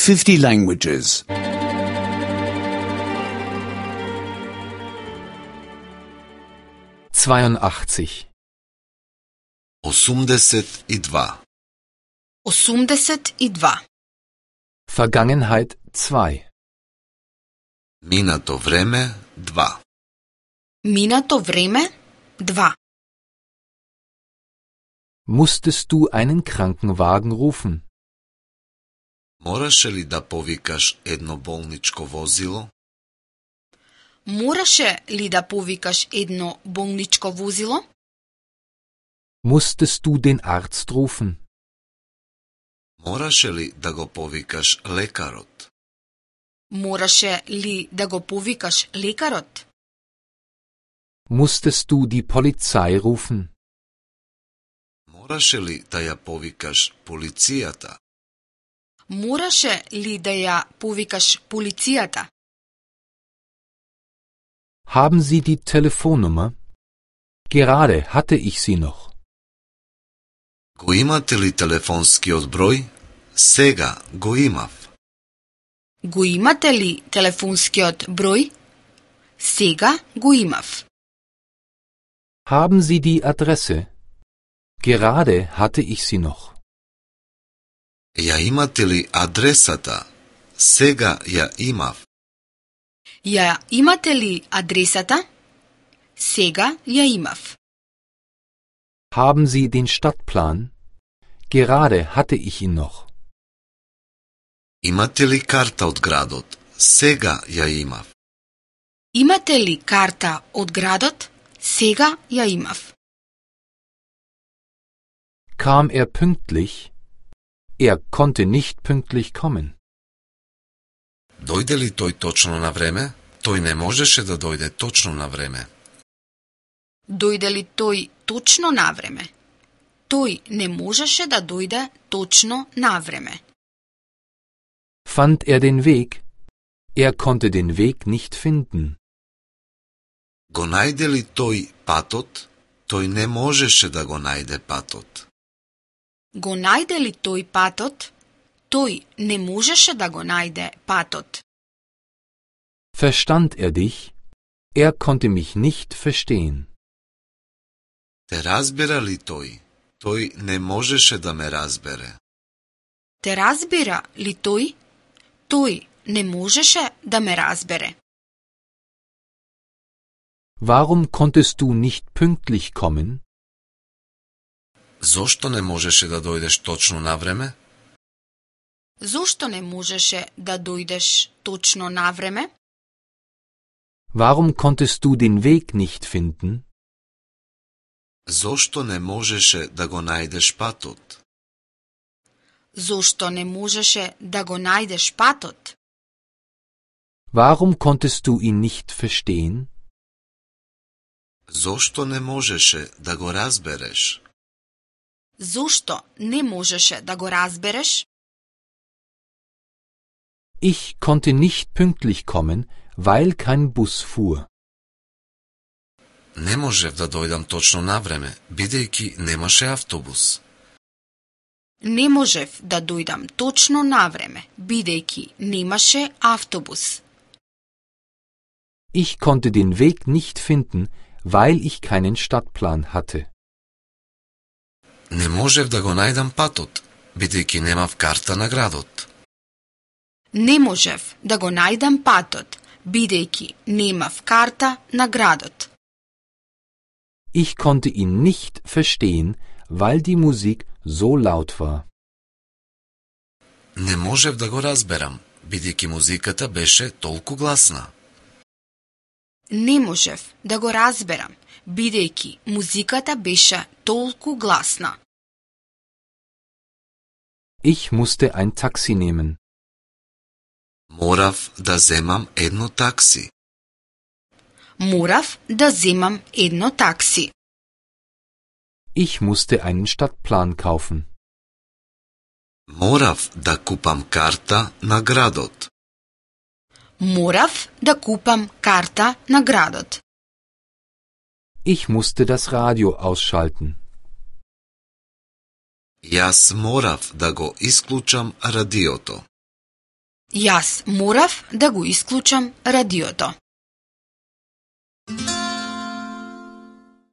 50 languages. 82. 82. 82. Vergangenheit 2. Минато време 2. Минато време 2. Musstest du einen Krankenwagen rufen? Мораше ли да повикаш едно болничко возило? Мораше ли да повикаш едно болничко возило? Musstest du den Arzt rufen? Мораше ли да го повикаш лекарот? Мораше ли да го повикаш лекарот? Musstest du die Polizei rufen? Мораше ли да ја повикаш полицијата? Мораше ли да ја повикаш полицијата? Haben Sie die Telefonnummer? Gerade hatte ich sie noch. Го имате ли телефонскиот број? Сега го имав. Го имате ли телефонскиот број? Сега го имав. Haben Sie die Adresse? Gerade hatte ich sie noch. Ја имате ли адресата? Сега ја имав. Ја имате ли адресата? Сега ја имав. Haben Sie den Stadtplan? Gerade hatte ich ihn noch. Имате ли карта од градот? Сега ја имав. Имате ли карта од градот? Сега ја имав. Kam er pünktlich? Er konnte nicht pünktlich kommen. Дојде ли тој точно на време? Тој не можеше да дојде точно на време. Дојде ли тој точно на време? Тој не можеше да дојде точно на време. Fand er den Weg? Er konnte den Weg nicht finden. Го најде ли тој патот? Тој не можеше да го најде патот. Го најде ли тој патот? Тој не можеше да го најде патот. Verstand er dich? Er konnte mich nicht verstehen. Те разбира ли тој? Тој не можеше да ме разбере. Те разбира ли тој? Тој не можеше да ме разбере. Warum konntest du nicht pünktlich kommen? Зошто не можеше да дојдеш точно на време? Зошто не можеше да дојдеш точно на време? Warum konntest du den Weg nicht finden? Зошто не можеше да го најдеш патот? Зошто не можеше да го најдеш патот? Warum konntest du ihn nicht verstehen? Зошто не можеше да го разбереш? Зошто не можеше да го разбереш? Ich konnte nicht pünktlich kommen, weil kein Bus fuhr. Не можев да дојдам точно на време, бидејќи немаше автобус. Не можев да дојдам точно на време, бидејќи немаше автобус. Ich konnte den Weg nicht finden, weil ich keinen Stadtplan hatte. Не можев да го најдам патот, бидејќи немав карта на градот. Не можев да го најдам патот, бидејќи немав карта на градот. Ich konnte ihn nicht verstehen, weil die Musik so laut war. Не можев да го разберам, бидејќи музиката беше толку гласна. Не можев да го разберам, бидејќи музиката беше толку гласна. Ich musste ein Taxi nehmen. Морав да земам едно такси. Морав да земам едно такси. Ich musste einen Stadtplan kaufen. Морав да купам карта на градот. Морав да купам карта на градот. Ich musste das Radio ausschalten. Јас морав да го исклучам радиото. Јас морав да го исклучам радиото.